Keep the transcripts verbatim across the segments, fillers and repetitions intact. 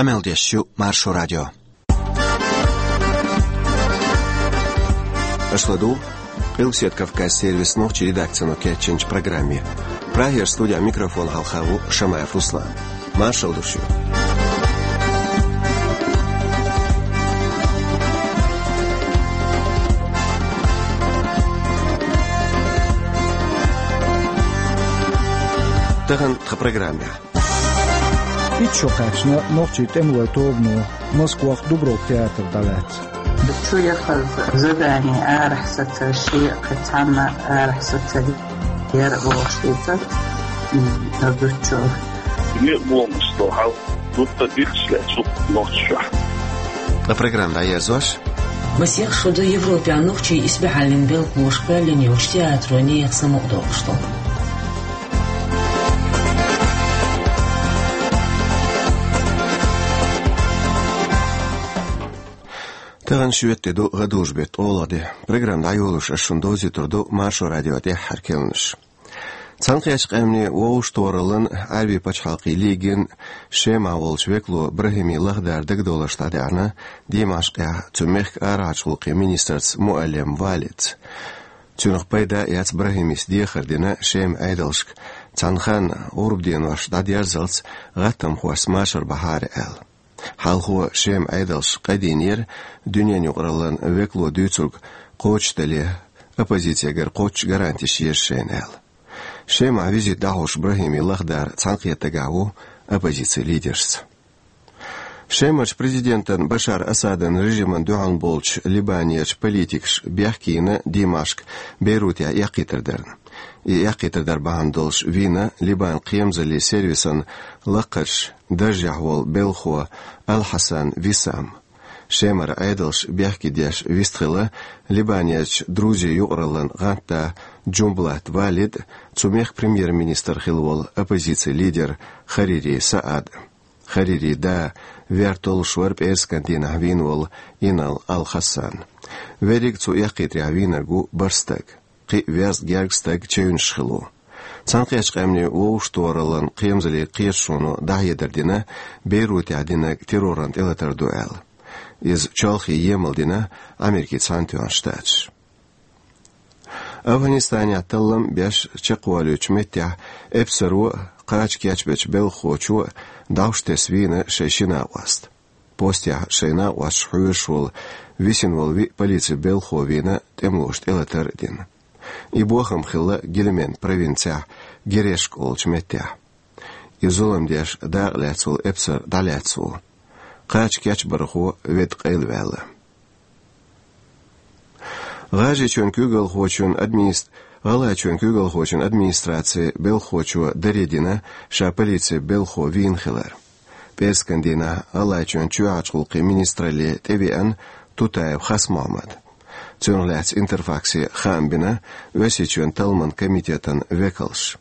Къамел деш ю Маршо радио. Аша ладугӀу Къилбаседа Кавказан сервисан нохчийн редакцино кечйинчу программе. Прагера студехь микрофон хьалха ву Шамаев Руслан. Маршалла ду шуьга. Тахана тхан программехь. Итт шо кхаьчна нохчийн тӀемалойн тобано Москвахь Дубровка театр дӀалаьцна. Чу яхаза задание арахь саца ши кхин цхьанна арахь саца яра вовшашца, м, а зудчо. Некъ бомбу стохьал, гутта дилча лаьцу нохчашехь. Ткъа программа дӀаерзош. Масех шо ду Европехь нохчийн исбаьхьаллин белхалоша кхоьллина йолчу театро нехан самукъадоккхуш долу. Тахана шоьтан де ду, гӀадужу беттан ткъолгӀа де. Программа дӀайолош ас шуна довзуьйтур ду Маршо радион тӀаьххьара керланаш. Цхьаьнакхеттачу Къаьмнийн Вовшахтохараллин, Ӏаьрбийн пачхьалкхийн лигин Шемахь волчу векало БрахӀими Лахдар дагадовларш дӀадаьхьна Димашкъехь цу мехкан арахьарчу гӀуллакхийн министрца Муаллем Валица. Цунах пайда а эцна, БрахӀимис дехар дина Шеман Ӏедалшка, цхьана ханна гӀурба денош дӀадерзалц гӀаттамхошца машар бахьара аьлла. Хьалхо Шеман Ӏедалша къа динера, дуьненан юкъараллин векало дуьйцург кхочушдале, оппозицигара кхоччуш гарантеш еза шайна аьлла. Шемахь визит дӀахьош БрахӀими Лахдар цхьаьнакхетта дагахь ву оппозицин лидершца. Шемарчу президентан Башар Асадан режимна дуьхьал болчу Либанерчу политикаша бехке йина Димашк Бейрутехь эккхийтар дарна. И эккхийтар дар бахьана долуш вийна Либанан кхерамзаллин сервисан лакхарчу даржехь волу белхахо Ал-Хьасан Висам. Шемара Ӏедалша бехке деш вистхилла Либанерчу Друзийн юкъараллин гӀантда Джумблат Валид, цу мехкан премьер-министр хилла волу оппозицин лидер Харири Саад. Харири да вер толлуш вара пӀераскан дийнахь вийна волу Инал Ал-Хасан. Верриг цу эккхийтарехь вийнарг ву бархӀ стаг. Кхин а верза гергга стаг чевнаш хилла ву. Цхьаьнакхеттачу Къаьмнийн Вовшахтохараллин кхерамзаллин кхеташоно дӀахьедар дина Бейрутехь динарг терроран тӀелатар ду аьлла. Иза чолхе емал дина Америкин Цхьаьнатоьхна Штаташа. Афганистанехь таллам беш чекхволуьйтучу меттехь эпсаро а, кхача кечбечу белхахочо а дӀовш тесна вийна шайн ши накъост. Постехь шайн накъосташка хьоьжуш волу висина волу виъ полицин белхахо вийна тӀемалоша тӀелатар а дина. И бохам хилла Гильман провинцехь Герешка олучу меттехь. И зулам деш дакъа лаьцна волу эпсар дӀалаьцна ву. Кхача кечбархо ведда къайлаваьлла. ГӀажарийчоьнан куьйгалхочун админис-, ГӀалгӀайчоьнан куьйгалхочун администрацин белхахочо даре дина ша полицин белхахо вийна хилар. ПӀераскан дийнахь ГӀалгӀайчоьнан чоьхьарчу гӀуллакхийн министралле тӀевеана Тутаев Хасмохьмад. Цунах лаьцна Интерфаксе хаам бина Оьрсийчоьнан талламан комитетан векалша.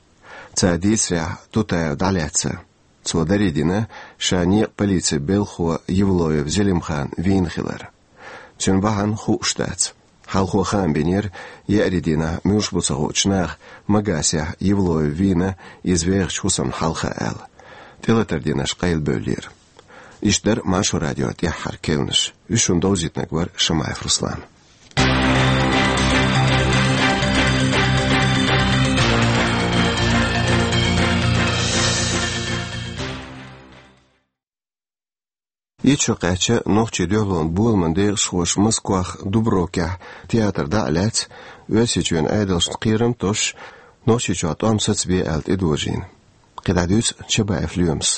Цара дийцарехь, Тутаев дӀалаьцна. Цо даре дина ша некъан полицин белхахо Евлоев Зелимхан вийна хилар. Цуьнан бахьана хууш дац. Хьалхо хаам бинера, еарин дийнахь муьлш бу ца хуучу наха Магасехь Евлоев вийна иза вехачу хӀусамна хьалха аьлла. ТӀелатар динарш къайлабевллера. Иштта дара Маршо радион тӀаьххьара керланаш. Уьш шуна довзийтинарг вара Шамаев Руслан. Итт шо кхаьчна нохчийн дуьхьалонан боламан декъашхоша Москвахь Дубровкехь театр дӀа а лаьцна, Оьрсийчоьнан Ӏедалшна кхерам а тосуш, Нохчийчохь тӀом сацабе аьлла тӀедожийна. КхидӀа дуьйцу Чабаев Лоьмас.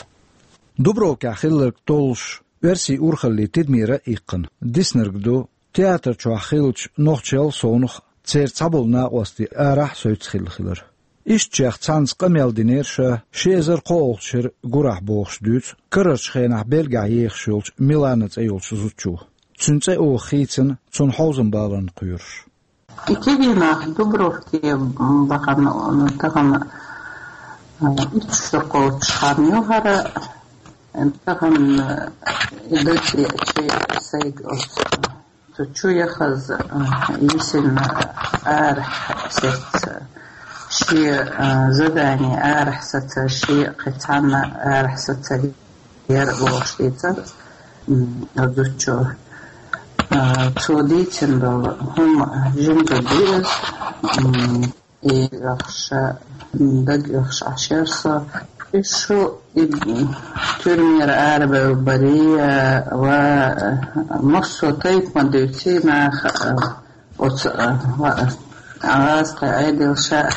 Дубровкехь хилларг толлуш, оьрсийн урхаллин тидамера а иккхина, диснарг ду театр чохь хиллачу нохчалла совнаха церан цхьаболу накъостий арахь а, совцахь а хилла хилар. Ишттачех цхьанца къамел динера ша ши эзар кхоалгӀачу шеран гурахь бохуш дуьйцу карарчу хенахь Бельгехь ехаш йолчу Милана цӀе йолчу зудчо. Цуьнан цӀе оха хийцина, цунна хьовзам баларна кхоьруш. И кегий нах Дубровке бахана, тахана, а, итт шо кхочуш хан ю хӀара, тахана, а, и дати чей сайга оцу. Цу чу яхаза, а, йисина арахь саца, шен, а, задание арахь саца, шен кхин цхьанна арахь саца яр бохуш дийцар, м, а зудчо. А, цо дийцина долу хӀума жима зуда ю иза, м, и оьхуш, м, даг оьхуш Ӏаш яр со. И шу и, м, туьрмера арабевлла барий, а, ва, а, массо а тайпа ма дуьйций наха, а, оцу, а, ва, а, гӀазкхи Ӏедал ша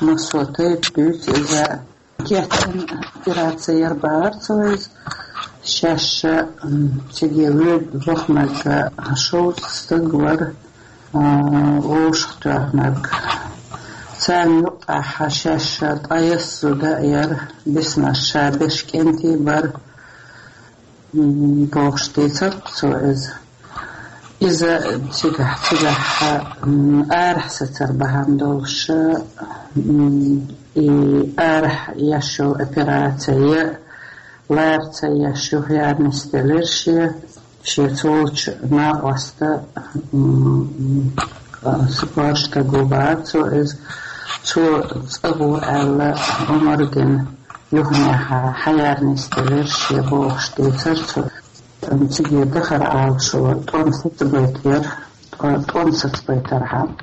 массо а тайпа дуьйцу иза. Кечйина операци яр бахар цо иза. Шаьш, м, циге воьду баханарг шовзткъа стаг вара, а, вовшахтоьхнарг. Царна юккъехь шаьш ткъаесна зуда а яр, бисмаш ша берш кӀентий бара. М, бохуш дийцар цо иза. Иза цигахь, цигахь, м, арахь сацар бахьана долуш, м, и арахь еш йолу операци я лара ца еш юхаяра нисделира шен, шен цу волчу накъоста, м, м, спортага бахар цо иза. Цо цӀа гӀо аьлла, омра дина. Юханехьа хьаяра нисделира шен бохуш дийцар цо. Циге дахар Ӏалашо, тӀом сацабайтар, тӀо-, тӀом сацабайтархьама.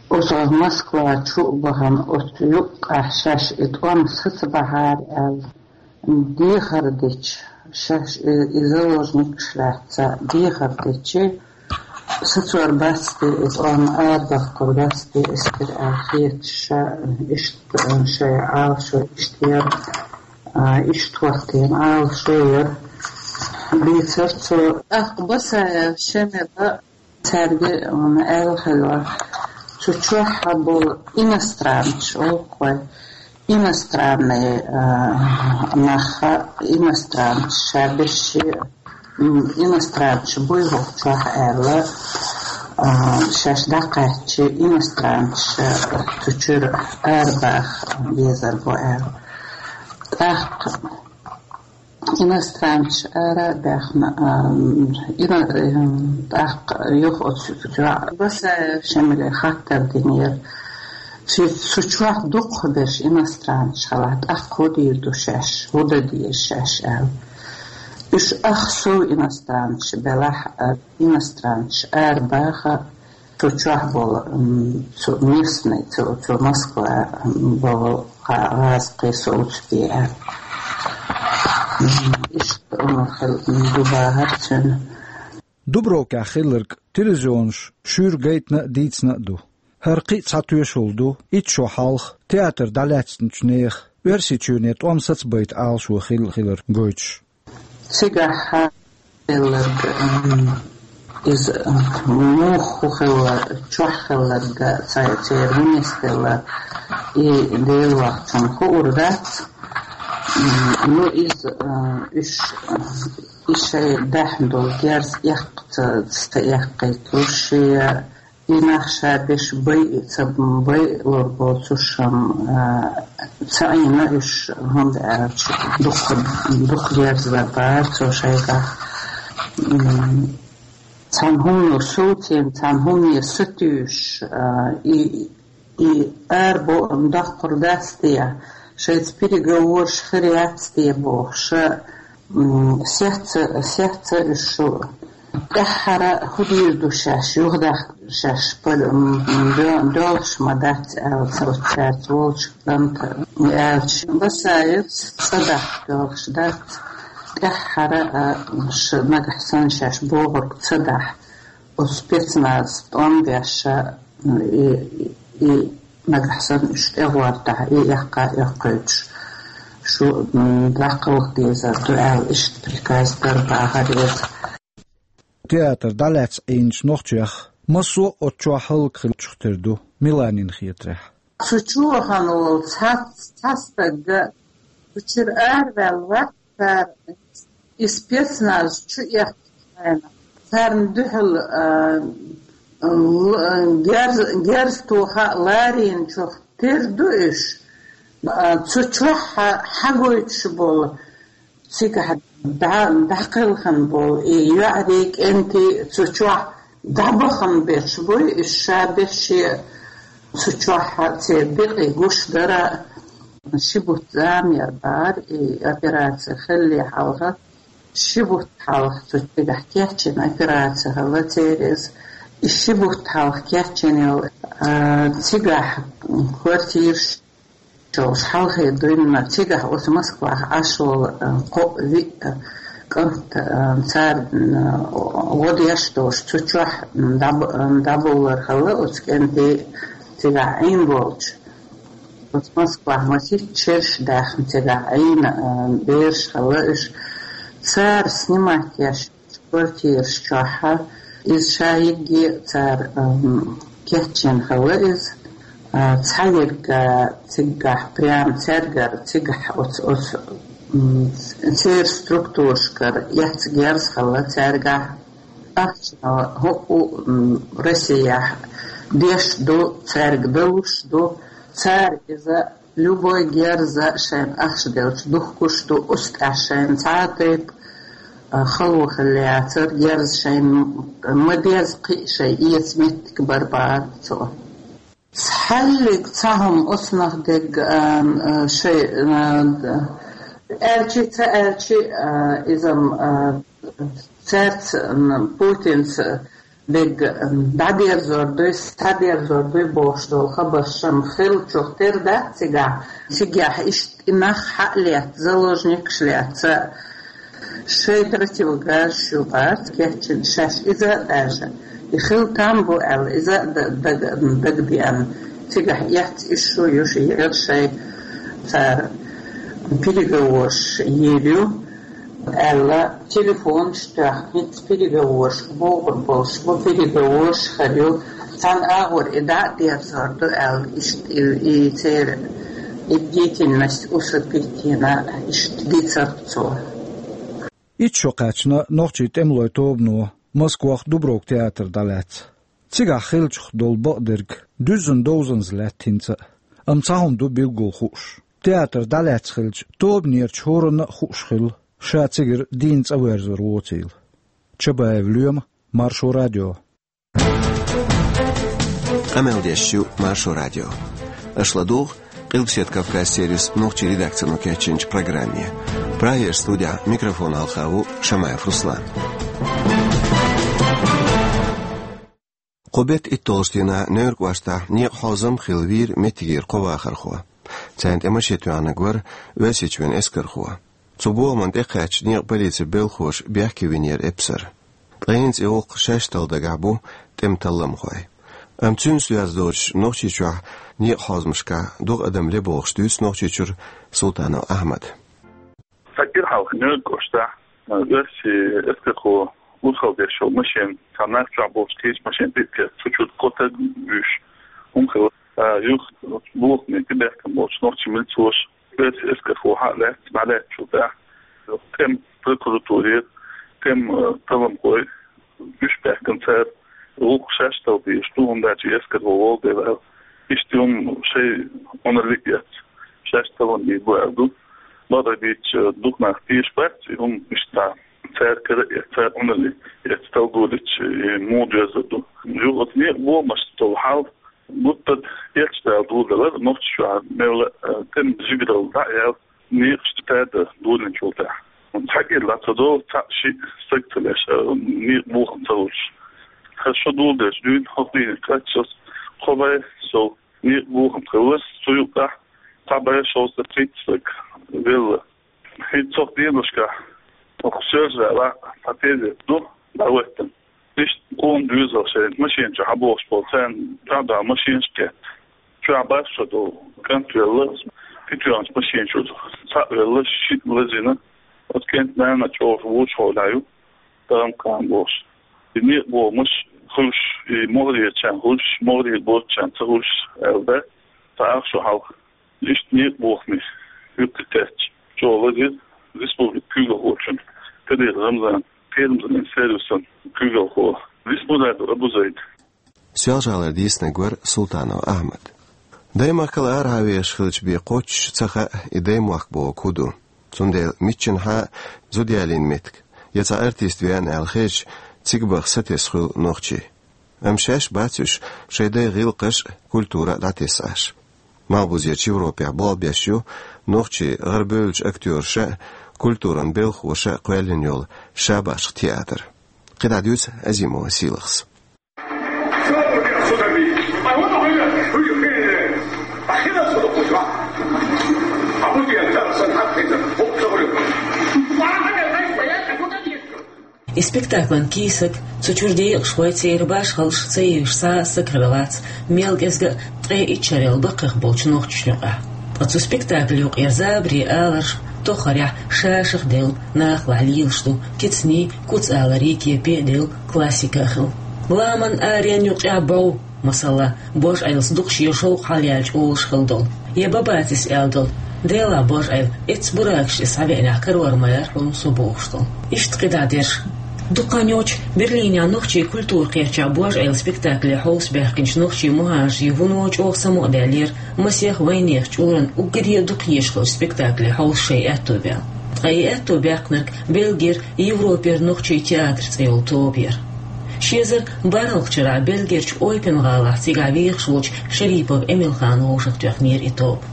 Оцу Москва чу а бахана, оцу юккъехь шаьш и тӀом сацабахьара аьлла, дехар дича, шаьш и, и заложникаш лаьцна дехар дича, сацор бац те, иза тӀом арадоккхур бац те, эскар аьлла хеташ, ша иштта, шайн Ӏалашо иштта яра, а, иштта хӀоттийна Ӏалашо яра, дийцар цо. ТӀаккха Басаев Шемила цаьрга, м, аьлла хилла, цу чохь болу иностранцаш, олу-кх вай, иностранный, а, нах, иностранцаш ша берш, м, иностранцаш буй хӀокху чохь аьлла, а, шаьш дӀакхаьчча, иностранцаш цу чуьра арабаха безар бу аьлла. ТӀаккха иностранцаш ара а баьхна, а, ино-, э, тӀаккха юха оцу чохь Басаев Шемале хаттар динера. Цу, цу чохь дукхахберш иностранцаш хилахь, тӀаккха хӀун дийр ду шаьш, хӀун дан деза шаьш аьлла. Уьш ах сов иностранцаш белахь, а, иностранцаш арабаха, цу чохь болу, м, цу местный, цу, цу Москва, м, болу гӀа-, гӀазкхий совцаде аьлла. М, иштта, м, хил-, м, ду бахар цуьнан. Дубровкехь хилларг телевизионаш шуьйра гайтина а, дийцина а ду. ХӀара кхин а цхьа тоьшалла ду итт шо хьалха театр дӀалаьцначу нехан Оьрсийчоьне тӀом сацабайта Ӏалашо хилла хилар гойтуш. Цигахь хилларг, м, иза, м, муха хилла, чохь хилларг, цай-, церан хӀун нисделла, и Дела вахчунна хуур дац. М, ну, иза, м, уьш, м, и шайн даьхна долу герз эккха ца, ца эккхийтуш, шен И нах ша берш байа ца байалур боцуш, а, ца Ӏийна уьш, хӀунда аьлча дукха, дукха герз бара цо шайгахь. М, цхьана хӀумано совцийна, цхьана хӀумане сатуьйсуш, а, и, и арабо-, даккхур дац те, шайца переговораш хир яц те бохуш, м, сецца, сецца уьш шу. ТӀаьххьара хӀун дийр ду шаьш, юхадахка шаьш пал-, м, м, до-, доьлхуш ма дац аьлла, ца оццаьрца волчу кӀанта аьлча, Басаевс цӀа дахка доьлхуш дац. ТӀаьххьара, а, ш-, нагахь санна шаьш бохург ца дахь, оцу спецназ тӀом беш, м, и, и, и нагахь санна уьш тӀегӀортахь, и эккха а эккхуьйтуш, шу, м, дӀакхалха дезар ду аьлла, иштта приказ дара бахар иза. Театр дӀалаьцна Ӏийначу нохчех массо а оцу чохь хӀаллакьхиларчух тера ду, Миланина хетарехь. Цу чу вахана волу цхьацца, цхьа стаг, цу чуьра араваьлла вац цара, и спецназ чу эккхачу хенахь. Царна дуьхьал, а, л-, герз-, герз тоха а ларийначух тера ду уьш. А, цу чохь хьа-, хьагойтуш болу, цигахь дӀа-, дӀакхелхина болу и йоӀарий, кӀентий цу чохь дӀабахана берш буй, уьш ша берш шен цу чохь церан бекъе гуш дара. Ши бутт зама яр бахьара, и операци хилале хьалха, ши бутт хьалха цу цигахь кечйина операци хилла церан иза. И ши бутт хьалха кечйина йолу, а, цигахь квартираш йолуш хьалхе дуьйна, цигахь оцу Москвахь Ӏаш волу, а, кхоъ-виъ, а, кӀант, а, цара, а, гӀо деш долуш цу чохь, м, дӀаб-, а, дӀабовлар хилла оцу кӀентий цигахь Ӏийна болчу. Оцу Москвахь масийтта шераш даьхна цигахь Ӏийна, а, бераш хилла уьш. Цара снимать еш квартираш чохь, иза ша йигге цара, м, кечйина хилла иза. А, цхьа ерг, а, цигахь прям цаьргара цигахь оцу, оцу, м, церан структурашкара эцна герз хилла цаьргахь. Ахча хӀуъу, м, Россияхь деш ду, цаьрга далуш ду. Цара иза любой герза шайна ахча делча духкуш ду, уьш тӀехь шайна цхьа а тайпа, а, хало хилла яцара, герза шайна ма-, ма-деззара кхин а шайн эца меттиг бара бахьара цо. Цхьаллиг цхьа хӀума оцунах дерг, а, а, шайн, а, д-, аьлчи ца аьлчи, а, иза-м, а, цаьрца, м, Путинца дерг, м, дӀадерзор дуй, схьадерзор дуй бохуш долу хабарш-м хиллачух тера дац цигахь. Цигахь иштта и нах хьа а летта, заложникаш летта, шайн противогаз ю бац кечйина шаьш иза а даже. И хила там бу аьлла, иза а д-, дага, дагадеана. Цигахь эцна уьш ю, уьш яра шайн цара переговорш йийр ю. Аьлла, телефонаш тоьхна, хӀинца переговораш богӀур болуш бу, переговораш хир ю. Цхьана агӀор и дӀа а дерзор ду аьлла, иштта и, и церан и деятельность усыпить йина, иштта дийцира цо. Итт шо кхаьчна нохчийн тӀемалойн тобано Москвахь Дубровка театр дӀалаьцна. Цигахь хиллачух долу бакъдерг дуьззина довзанза лаьтта хӀинца а. Амма цхьа хӀума ду билггал хууш. Театр дӀалаьцна хилча, тобанерчу хӀоранна а хууш хилла, ша цигара дийна цӀа верзор воцийла. Чабаев Лоьма, Маршо радио. Къамел деш ю Маршо радио. Аша ладугӀу Къилбаседа Кавказ сервисан нохчийн редакцино кечйинчу программе. Прагера студехь микрофон хьалха ву Шамаев Руслан. Кху беттан итталгӀачу дийнахь Невран кӀоштахь некъан хьозам хилла вийра меттигера кхо вахархо. Царна тӀе машен тоьхнарг вара Оьрсийчоьнан эскархо. Цу бохамна тӀекхаьчча, некъан полицин белхахоша бехке винера эпсар. Ткъа хӀинца и гӀуллакх шаьш талла дагахь бу тӀеман талламхой. Амма цуьнца доьзна доцуш Нохчийчохь некъан хьозамашкахь дукха адам ле бохуш дуьйцу Нохчийчуьра Султанов Ахьмада. Цхьа кӀира хьалха Невран кӀоштахь, а, оьрсийн эскархо урхалла деш йолу машен, цхьа нах чохь болчу кхечу машен тӀе а кхетта, цу чуьра кхо стаг вуьйш хӀума хилла. А, юха бохаме тӀебаьхкина болчу нохчийн милицоша оьрсийн эскархо хьа а лаьцна, дӀалаьцначул тӀаьхьа тӀеман прокуратурера, тӀеман, а, талламхой уьш баьхкина, цара гӀуллакх шаьш талла дезаш ду, хӀунда аьлча эскархо волу дела аьлла. Иштта хӀума шайн Ӏуналлиг а эцна, шаьш таллам бийр бу аьлла ду. Бакъдерг дийцича, дукха нах тешаш бац и хӀума, иштта цара кара а эцна, цара Ӏуналлиг эцна талла долуьйтуш, и муха доьзна ду. Юха оцу некъан бохамашца долу хьал гуттар а кечдала доладелира Нохчийчохь мелла а, э, тӀеман жигаралла дӀа а яьлла, некъаш тӀе тада долийначул тӀаьхьа. Цхьа кӀира ла ца долу, цхьаъ-шиъ стаг ца леш, а, некъан бохам ца хуьлуш. Хьан шо доладелча дуьйна хӀокху дийнахь кхаччалц кхо бӀе сов некъан бохам хилла, цу юкъахь цхьа бӀе шовзткъе пхийтта стаг велла. ХӀинца цу деношкахь оцу Соьлжа-ГӀалахь цхьа тезет ду дӀахӀоьттина. Иштта къона доьзал шайна машен чу хьабохуш болу, царна дуьхьал машенаш а кхетта. Чохь бархӀ шо долу кӀант велла, кхечу машен чуьра цхьаъ велла, шиъ лазийна. Оцу кӀентан нана чӀогӀа вочу-хьолехь ю, тахана-кхана бохуш. И некъан бохамаш хуьлуш, и могӀарерчарна хуьлуш, могӀарера боцчарна ца хуьлуш аьлла дац, цхьа ах шо хьалха. Иштта некъан бохаме юккъе кхаьчча, чӀогӀа лазийра республикан куьйгалхочун Кадыров Рамзанан, Кхерамзаллин сервисан куьйгалхо Висмурадов Абузайд. Соьлжа-ГӀалара дийцинарг вара Султанов Ахьмад. Даймахкал арахьа вехаш хилча бен кхоччуш ца хаьа и даймохк бохург хӀун ду. Цундела миччанхьа а зуда ялийна меттиг, я цхьа артист веана аьлла хезча, цига баха сатесна хуьлу нохчий. Амма шаьш бац уьш шайн дайн гӀиллакхаш а, культура а дӀатесна Ӏаш. Малхбузерчу Европехь болх беш ю нохчий, гӀарабевллачу актёраша а, культуран белхахоша а кхоьллина йолу «Шабашха» театр. КхидӀа дуьйцу Азимова Сийлахьас. И спектаклан кийсаг, цу чуьра декъашхой, церан башхаллаш ца евзаш цхьа а стаг хилла вац, мел кӀезга а ткъе итт шарел баккхих болчу нохчашна юкъахь. Ткъа цу спектакль юкъера забаре аларш тоххарехь шашах а делла, нахалахь лелаш ду, кицанийн, куц-аларийн кепе а делла, классика а хилла. Ламан аренна юкъахь бов, масала, божӀайлас дукха шен шовкъ хьалаяьлча олуш хилла долу, я Бабацис аьлла долу: «Делахь, божӀайла, эццу буракашца иза схьавеанехь карор ма яра хьуна со», — бохуш долу. Иштта кхидӀа дерш. Дукха хан йоццуш Берлинехь нохчийн культура кхерчахь божӀайлан спектакле хьовсабаьхкинчу нохчийн мухӀажарийн вуно чӀогӀа самукъадаьллера масех вайнехан чкъуран уггаре а дукха езаш хиллачу спектакле хьовса шайн аьтто баьлла. Ткъа и аьтто баьккхинарг Бельгера Европера нохчийн театр цӀе йолу тоба яра. Ши эзар бархӀалгӀачу шарахь Бельгерчу Ойпен-гӀалахь цигахь вехаш волчу Шерипов Эмилхана вовшахтоьхнера и тоба.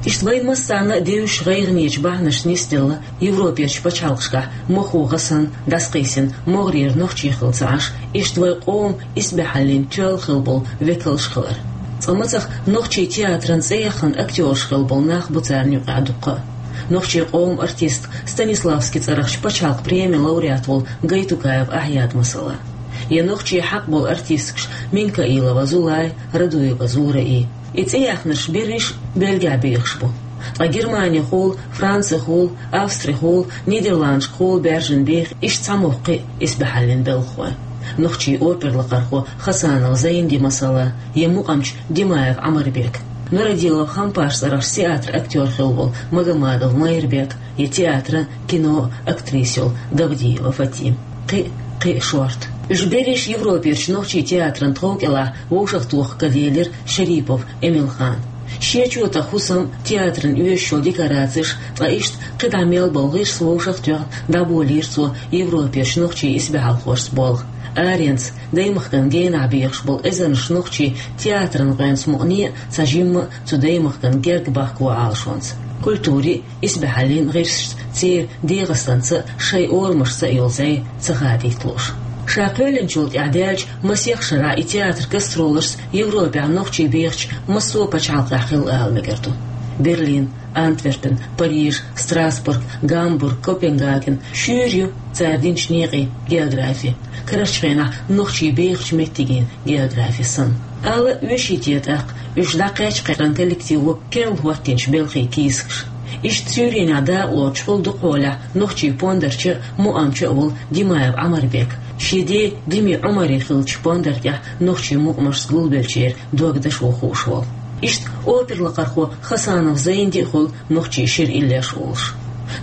Иштта вайна массарна а девзаш гӀайгӀанечу бахьанашца нисделла Европерчу пачхьалкхашкахь мохо гӀа санна, дӀасакхиссина, могӀарера нохчий хилла ца Ӏаш, иштта вайн къоман исбаьхьаллин тоьлла хилла болу векалш хилар. Цкъа мацах нохчийн театран цӀе яххана актёраш хилла болу нах бу царна юкъахь дуккха а. Нохчийн къоман артист, Станиславский цӀарахчу пачхьалкхан премин лауреат волу Гайтукаев Ахьяд, масала. Я нохчийн хьакъ болу артисткаш Минкаилова Зулай, Радуева Зураи. И цӀе яьхнарш берриш а Бельгехь бехаш бу. Ткъа Германехула, Францехула, Австрихула, Нидерландашкахула баьржина беха иштта цхьа мохк кхин а исбаьхьаллин белхахой. Нохчийн оперлакхархо Хасанов Зайнди, масала, я мукъамча Димаев Ӏамарбек. Нурадилов Хампаш цӀарахчу театран актёр хилла волу Магомадов Майрбек, я театр, кино актриса йолу Габдиева Фатима. Кхин а, кхин а шорта. Уьш берриш Европерчу нохчийн театран тхов кӀелахь вовшахтоха каделира Шерипов Эмилхана. Шен чотах хӀусам, театран оьшуш йолу декорацеш, ткъа иштта кхидӀа мел болу гӀирс вовшахтоьхна, дӀаболийра цо Европерчу нохчийн исбаьхьалхошца болх. Аренца, даймахкан генахь бехаш болу эзарнаш нохчий театран гӀоьнца мукъане а цхьа жимма а цу даймахкан герга бахко Ӏалашонца. Культурин а, исбаьхьаллин гӀирсашца церан ДегӀастанца а, шайн орамашца а йолу зӀе ца хадийта лууш. Ша кхоьллинчул тӀаьхьа даьллачу масех шарахь и театр гастролашца Европехь нохчий бехачу массо а пачхьалкхехь хилла ала мегар ду. Берлин, Антверпен, Париж, Страсбург, Гамбург, Копенгаген — шуьйра ю цара динчу некъийн географи, карарчу хенахь нохчий бехачу меттигийн географи санна. Ала оьший те тӀаккха, уьш дӀакхаьчча кхеран коллективо керла хӀоттийначу белхийн кийсакаш. Иштта Цюрихехь дакъалоцуш хуьлу дукхахьолехь нохчийн пондарча а, мукъамча а волу Димаев Ӏамарбек. Шен ден Дими Ӏумаран хиллачу пондар тӀехь нохчийн мукъамашца гулбеллачеран дог дашо хууш волу. Иштта оперлакхархо Хасанов Зайнди а хуьлу нохчийн шира иллеш олуш.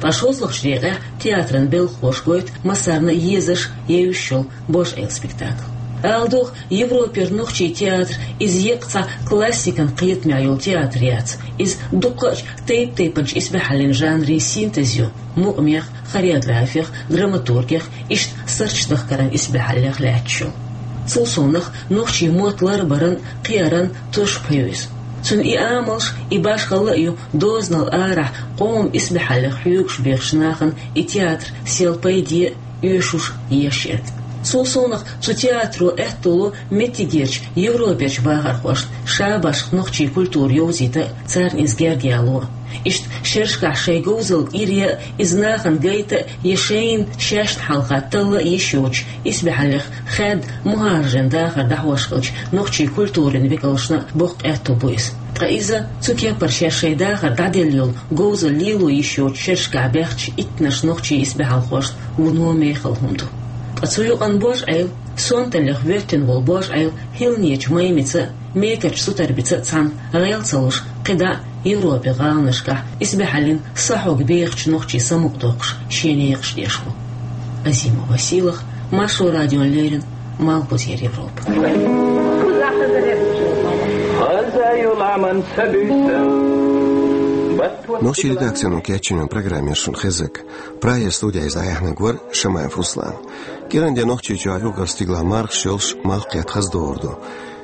Ткъа шолгӀачу декъехь театран белхахоша гойту массарна а езаш, евзаш йолу божӀайлан спектакль. Ала догӀу, Европера нохчийн театр иза еккъа цхьа классикан кхетамехь йолу театр яц. Иза дуккхачу тайп-тайпанчу исбаьхьаллин жанрийн синтез ю: мукъамех, хореографех, драматургех, иштта сурташ дахкаран исбаьхьаллех лаьтташ йолу. Цул совнаха, нохчийн мотт ларбаран, кхиаран туш пхьуьйсу. Цуьнан и амалш, и башхалла а ю дозанал арахь къоман исбаьхьаллех хьоьгуш бехачу нахана и театр сел пайде а, оьшуш а еш ерг. Цул совнаха, цу театро аьтто ло меттигерчу Европерчу бахархошна шабашха нохчийн культура йовзийта а, царна иза герга яло а. Иштта шерашкахь шайн говзалла кӀира а, иза нахана гайта а, я шайна шаьшна хьалха талла а йиш йоцуш, исбаьхьаллех хаьдда мухӀажарийн дахар дӀахьош хиллачу нохчийн культурин векалшна а боккха аьтто бу иза. Ткъа иза цу кепара шаьш шайн дахар дӀаделла йолу говзалла лело йиш йоцуш шерашкахь баьхначу иттаннаш нохчийн исбаьхьалхошна вуно мехала хӀума ду. Ткъа цу юкъана божӀайла, сонталлех воьттина волу божӀайла хӀилланечу Маймица а, мекарчу Сутарбица а цхьаьна гӀел ца луш, кхидӀа а Европин гӀаланашкахь исбаьхьаллин сахьог бехачу нохчийн самукъадоккхуш шен некъаш деш ву. Азимова Сийлахь, Маршо радиона леррина, Малхбузера Европа. Нохчийн редакцино кечйинчу программе шуна хезарг. Прагера студехь иза дӀаяьхьнарг вара Шамаев Руслан. КӀиран де Нохчийчохь юкъара стигалахь мархаш йолуш, малх кхетта хаза догӀур ду.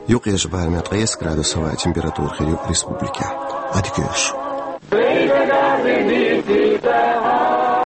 Юккъерчу барамехь ткъайесна градус хӀаваан температура хир ю республикехь. Hadi görüş.